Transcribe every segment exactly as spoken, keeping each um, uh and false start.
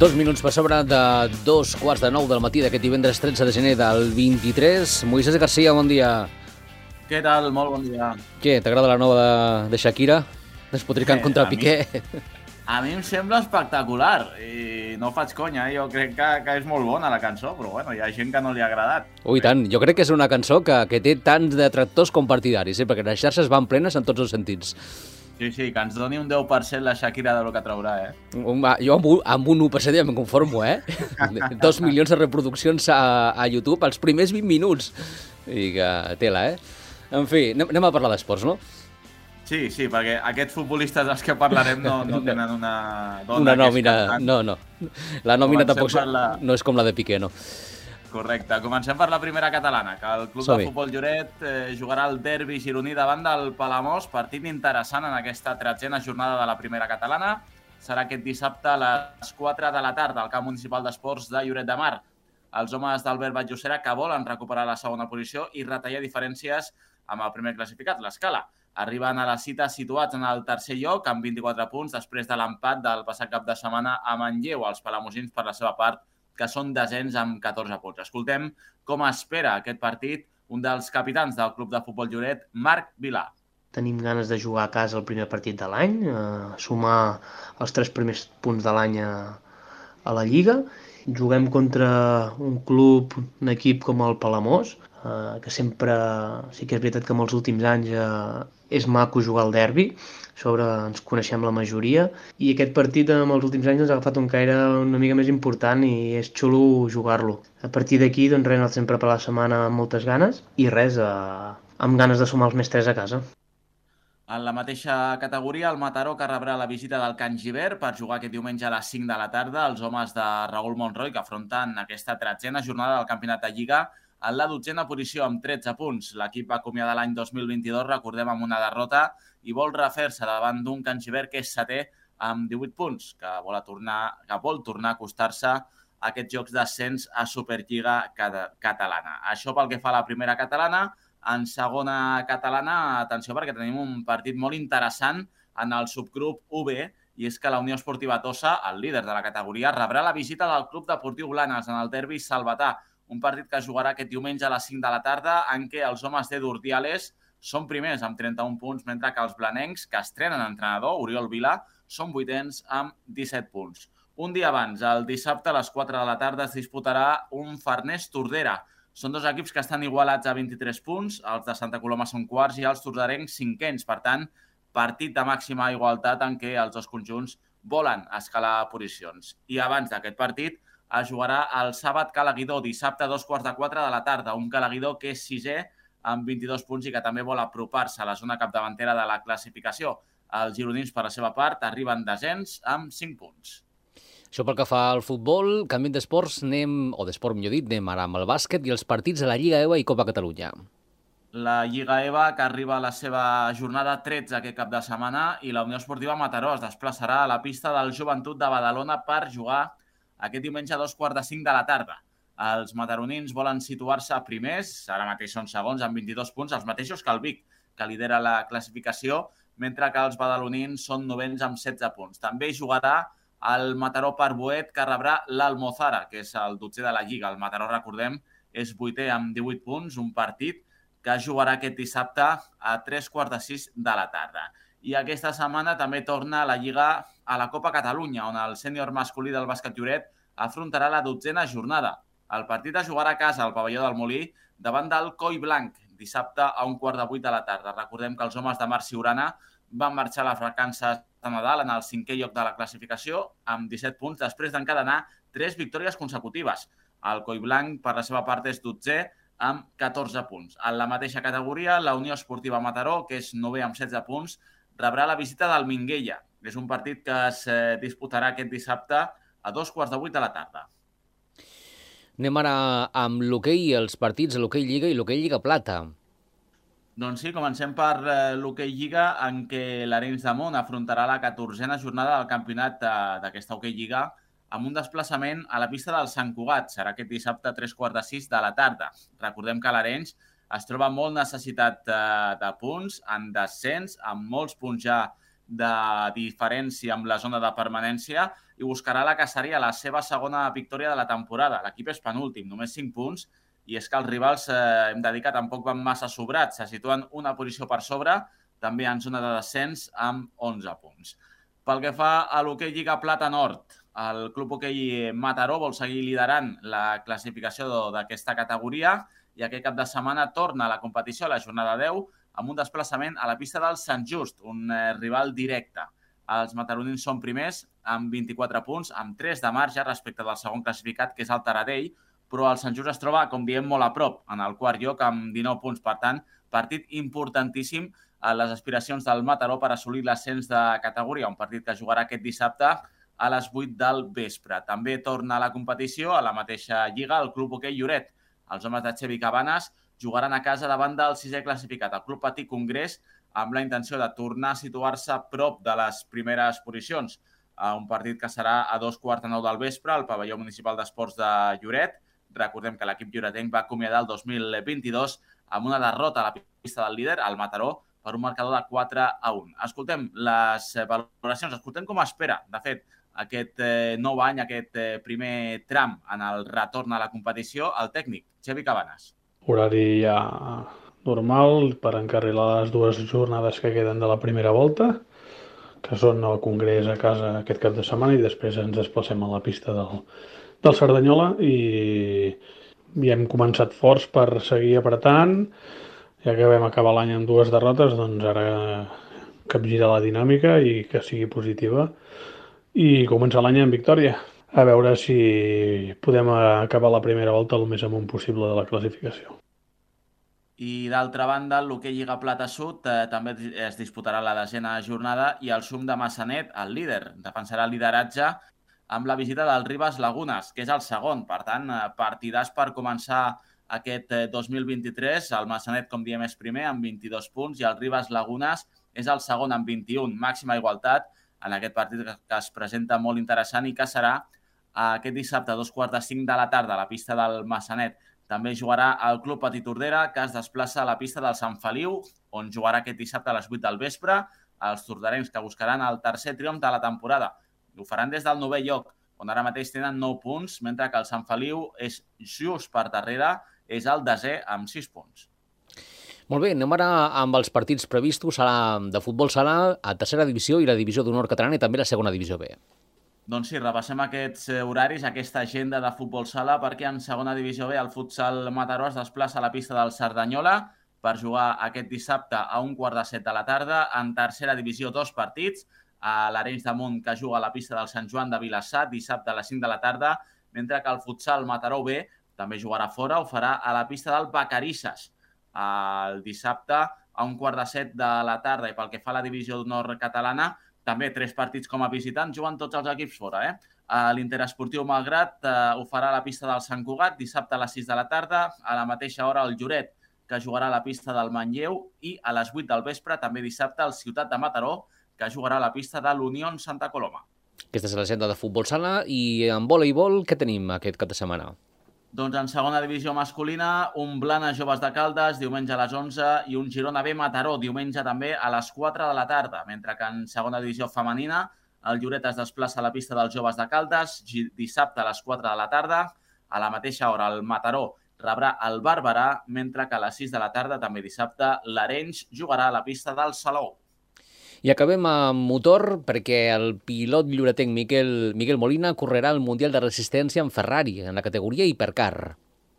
Dos minuts per sobre de dos quarts de nou del matí d'aquest divendres tretze de gener del vint-i-tres. Moisés Garcia, bon dia. Què tal? Molt bon dia. Què, t'agrada la nova de, de Shakira? Despotricant Eh, contra a mi- Piqué? A mi em sembla espectacular i no faig conya, eh? Jo crec que, que és molt bona la cançó, però bueno, hi ha gent que no li ha agradat. Ui, tant. Jo crec que és una cançó que, que té tants detractors com partidaris, eh? Perquè les xarxes van plenes en tots els sentits. Sí, sí, que ens doni un deu per cent la Shakira de lo que traurà, eh? Home, jo amb un, amb un u per cent ja em conformo, eh? Dos milions de reproduccions a, a YouTube els primers vint minuts. I que tela, eh? En fi, anem, anem a parlar d'esports, no? Sí, sí, perquè aquests futbolistes dels que parlarem no, no tenen una dona Una que és nòmina... cantant. No, no. La nòmina Comencem tampoc per la- no és com la de Piqué, no? Correcte. Comencem per la primera catalana, que el Club Som-hi. de Futbol Lloret eh, jugarà el derbi gironí davant del Palamós, partit interessant en aquesta tretzena jornada de la primera catalana. Serà aquest dissabte a les quatre de la tarda al camp municipal d'esports de Lloret de Mar. Els homes d'Albert Batllocera que volen recuperar la segona posició i retallar diferències amb el primer classificat, l'Escala. Arriben a la cita situats en el tercer lloc amb vint-i-quatre punts després de l'empat del passat cap de setmana a Manlleu. Els palamosins, per la seva part, que són desens amb catorze punts. Escoltem com espera aquest partit un dels capitans del Club de Futbol Lloret, Marc Vilà. Tenim ganes de jugar a casa el primer partit de l'any, eh, sumar els tres primers punts de l'any a, a la Lliga. Juguem contra un club, un equip com el Palamós, eh, que sempre, sí que és veritat que en els últims anys eh, és maco jugar al derbi, a sobre ens coneixem la majoria, i aquest partit en els últims anys ens ha agafat un caire una mica més important i és xulo jugar-lo. A partir d'aquí, doncs res, nosaltres hem preparat la setmana amb moltes ganes i res, eh, amb ganes de sumar els més tres a casa. En la mateixa categoria, el Mataró, que rebrà la visita del Can Gibert per jugar aquest diumenge a les cinc de la tarda. Els homes de Raül Monroy, que afronten aquesta tretzena jornada del Campionat de Lliga en la dotzena posició amb tretze punts. L'equip va acomiadar l'any dos mil vint-i-dos, recordem, amb una derrota i vol refer-se davant d'un Can Gibert que és setè amb divuit punts, que vol tornar, que vol tornar a acostar-se a aquests jocs d'ascens a Superliga catalana. Això pel que fa a la primera catalana. En segona catalana, atenció, perquè tenim un partit molt interessant en el subgrup U B, i és que la Unió Esportiva Tossa, el líder de la categoria, rebrà la visita del Club Deportiu Blanes en el derbi salvatà, un partit que jugarà aquest diumenge a les cinc de la tarda, en què els homes de Durdiales són primers amb trenta-un punts, mentre que els blanencs, que estrenen entrenador, Oriol Vila, són vuitens amb disset punts. Un dia abans, el dissabte a les quatre de la tarda, es disputarà un Farners-Tordera. Són dos equips que estan igualats a vint-i-tres punts, els de Santa Coloma són quarts i els tordarencs cinquens. Per tant, partit de màxima igualtat en què els dos conjunts volen escalar posicions. I abans d'aquest partit es jugarà el Sàbat Calaguidó, dissabte a dos quarts de quatre de la tarda. Un Calaguidó que és sisè amb vint-i-dos punts i que també vol apropar-se a la zona capdavantera de la classificació. Els gironins, per la seva part, arriben desens amb cinc punts. Això pel que fa al futbol, canviant d'esports, anem, o d'esport millor dit, anem ara amb el bàsquet i els partits de la Lliga E V A i Copa Catalunya. La Lliga E V A, que arriba a la seva jornada tretze aquest cap de setmana, i la Unió Esportiva Mataró es desplaçarà a la pista del Joventut de Badalona per jugar aquest diumenge a dos quarts de cinc de la tarda. Els mataronins volen situar-se primers, ara mateix són segons amb vint-i-dos punts, els mateixos que el Vic, que lidera la classificació, mentre que els badalonins són novens amb setze punts. També jugarà el Mataró Parbuet, que rebrà l'Almozara, que és el dotzè de la Lliga. El Mataró, recordem, és vuitè amb divuit punts, un partit que jugarà aquest dissabte a tres quarts de sis de la tarda. I aquesta setmana també torna la Lliga a la Copa Catalunya, on el sènior masculí del bàsquet Lloret afrontarà la dotzena jornada. El partit es jugarà a casa al pavelló del Molí davant del Coi Blanc, dissabte a un quart de vuit de la tarda. Recordem que els homes de Marc Siurana van marxar a les vacances de Nadal en el cinquè lloc de la classificació amb disset punts després d'encadenar tres victòries consecutives. El Coi Blanc, per la seva part, és dotzè amb catorze punts. En la mateixa categoria, la Unió Esportiva Mataró, que és novè amb setze punts, rebrà la visita del Minguella. És un partit que es disputarà aquest dissabte a dos quarts de vuit de la tarda. Anem ara amb l'hoquei, els partits de l'hoquei Lliga i l'hoquei Lliga Plata. Doncs sí, comencem per eh, l'hoquei Lliga, en què l'Arenys de Munt afrontarà la catorzena jornada del campionat eh, d'aquesta hoquei Lliga amb un desplaçament a la pista del Sant Cugat. Serà aquest dissabte a tres quarts de sis de la tarda. Recordem que l'Arenys es troba molt necessitat eh, de punts, en descens, amb molts punts ja de diferència amb la zona de permanència i buscarà la que seria la seva segona victòria de la temporada. L'equip és penúltim, només cinc punts, i és que els rivals, eh, hem de dir que tampoc van massa sobrats, se situen una posició per sobre, també en zona de descens amb onze punts. Pel que fa a l'hoquei Lliga Plata Nord, el Club Hoquei Mataró vol seguir liderant la classificació d'aquesta categoria i aquest cap de setmana torna a la competició a la jornada deu amb un desplaçament a la pista del Sant Just, un eh, rival directe. Els mataronins són primers amb vint-i-quatre punts, amb tres de marge respecte del segon classificat, que és el Taradell, però el Sant Just es troba, com diem, molt a prop, en el quart lloc amb dinou punts. Per tant, partit importantíssim a les aspiracions del Mataró per assolir l'ascens de categoria, un partit que jugarà aquest dissabte a les vuit del vespre. També torna a la competició, a la mateixa lliga, el Club Hoquei Lloret. Els homes de Xevi Cabanes jugaran a casa davant del sisè classificat, el Club Patí Congrés, amb la intenció de tornar a situar-se a prop de les primeres posicions. Un partit que serà a dos quarts de nou del vespre al pavelló municipal d'esports de Lloret. Recordem que l'equip lloretenc va acomiadar el dos mil vint-i-dos amb una derrota a la pista del líder, al Mataró, per un marcador de quatre a un. Escoltem les valoracions, escoltem com espera, de fet, aquest eh, nou any, aquest eh, primer tram en el retorn a la competició, el tècnic, Xevi Cabanes. Horari ja normal per encarrilar les dues jornades que queden de la primera volta, que són el Congrés a casa aquest cap de setmana, i després ens desplacem a la pista del, del Cerdanyola, i, i hem començat forts per seguir apretant. Ja que vam acabar l'any amb dues derrotes, doncs ara capgirar la dinàmica i que sigui positiva i començar l'any amb victòria. A veure si podem acabar la primera volta el més amunt possible de la classificació. I d'altra banda, l'hoquei Lliga Plata Sud eh, també es disputarà la desena jornada i el Xum de Massanet, el líder, defensarà el lideratge amb la visita del Ribes Lagunes, que és el segon. Per tant, partidàs per començar aquest dos mil vint-i-tres. El Massanet, com diem, és primer amb vint-i-dos punts i el Ribes Lagunes és el segon amb vint-i-un. Màxima igualtat en aquest partit que es presenta molt interessant i que serà aquest dissabte a dos quarts de cinc de la tarda a la pista del Massanet. També jugarà el Club Patí Tordera, que es desplaça a la pista del Sant Feliu, on jugarà aquest dissabte a les vuit del vespre. Els torderencs que buscaran el tercer triomf de la temporada. Ho faran des del novè lloc, on ara mateix tenen nou punts, mentre que el Sant Feliu és just per darrere, és el desè amb sis punts. Molt bé, anem ara amb els partits previstos. Serà de futbol sala a tercera divisió i la divisió d'honor catalana i també la segona divisió B. Doncs sí, repassem aquests horaris, aquesta agenda de futbol sala, perquè en segona divisió B el futsal Mataró es desplaça a la pista del Cerdanyola per jugar aquest dissabte a un quart de set de la tarda. En tercera divisió, dos partits, a l'Arenys de Munt, que juga a la pista del Sant Joan de Vilassar, dissabte a les cinc de la tarda, mentre que el futsal Mataró B també jugarà fora, ho farà a la pista del Vacarisses, el dissabte a un quart de set de la tarda. I pel que fa a la divisió d'honor catalana, també tres partits com a visitants, juguen tots els equips fora. Eh? L'Interesportiu Malgrat eh, ho farà a la pista del Sant Cugat, dissabte a les sis de la tarda, a la mateixa hora el Lloret, que jugarà a la pista del Manlleu, i a les vuit del vespre, també dissabte, el Ciutat de Mataró, que jugarà a la pista de l'Unió Santa Coloma. Aquesta és l'agenda de futbol sala. I en voleibol, què tenim aquest cap de setmana? Doncs en segona divisió masculina, un Blanes Joves de Caldes, diumenge a les onze, i un Girona B Mataró, diumenge també a les quatre de la tarda, mentre que en segona divisió femenina, el Lloret es desplaça a la pista dels Joves de Caldes, dissabte a les quatre de la tarda. A la mateixa hora, el Mataró rebrà el Barberà, mentre que a les sis de la tarda, també dissabte, l'Arenys jugarà a la pista del Salou. I acabem amb motor, perquè el pilot lloretenc Miquel, Miguel Molina correrà el Mundial de Resistència en Ferrari, en la categoria Hipercar.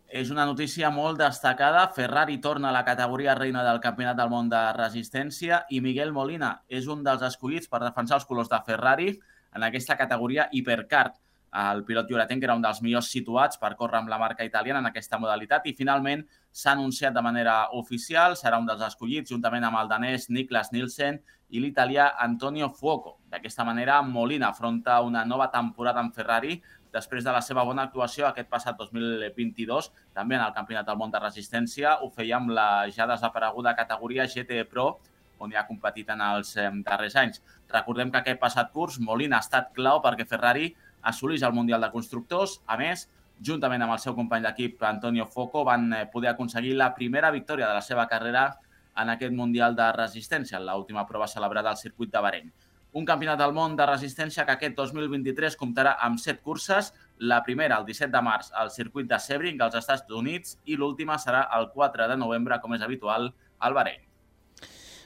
És una notícia molt destacada. Ferrari torna a la categoria reina del Campionat del Món de Resistència i Miguel Molina és un dels escollits per defensar els colors de Ferrari en aquesta categoria Hipercar. El pilot lloretenc era un dels millors situats per córrer amb la marca italiana en aquesta modalitat i finalment s'ha anunciat de manera oficial, serà un dels escollits juntament amb el danès Niklas Nielsen i l'italià Antonio Fuoco. D'aquesta manera, Molina afronta una nova temporada amb Ferrari després de la seva bona actuació aquest passat dos mil vint-i-dos, també en el Campionat del Món de Resistència. Ho feia amb la ja desapareguda categoria G T E Pro, on hi ha competit en els darrers anys. Recordem que aquest passat curs Molina ha estat clau perquè Ferrari assolís el Mundial de Constructors. A més, juntament amb el seu company d'equip Antonio Fuoco, van poder aconseguir la primera victòria de la seva carrera en aquest Mundial de Resistència, en l'última prova celebrada al circuit de Bahrein. Un campionat del món de resistència que aquest dos mil vint-i-tres comptarà amb set curses, la primera el disset de març al circuit de Sebring als Estats Units i l'última serà el quatre de novembre, com és habitual, al Bahrein.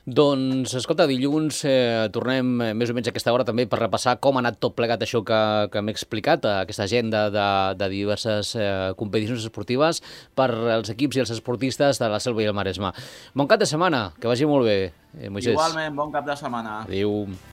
Doncs, escolta, dilluns eh, tornem eh, més o menys a aquesta hora també per repassar com ha anat tot plegat això que, que m'he explicat, aquesta agenda de, de diverses eh, competicions esportives per als equips i els esportistes de la Selva i el Maresme. Bon cap de setmana, que vagi molt bé, eh, Moisès. Igualment, bon cap de setmana. Adéu.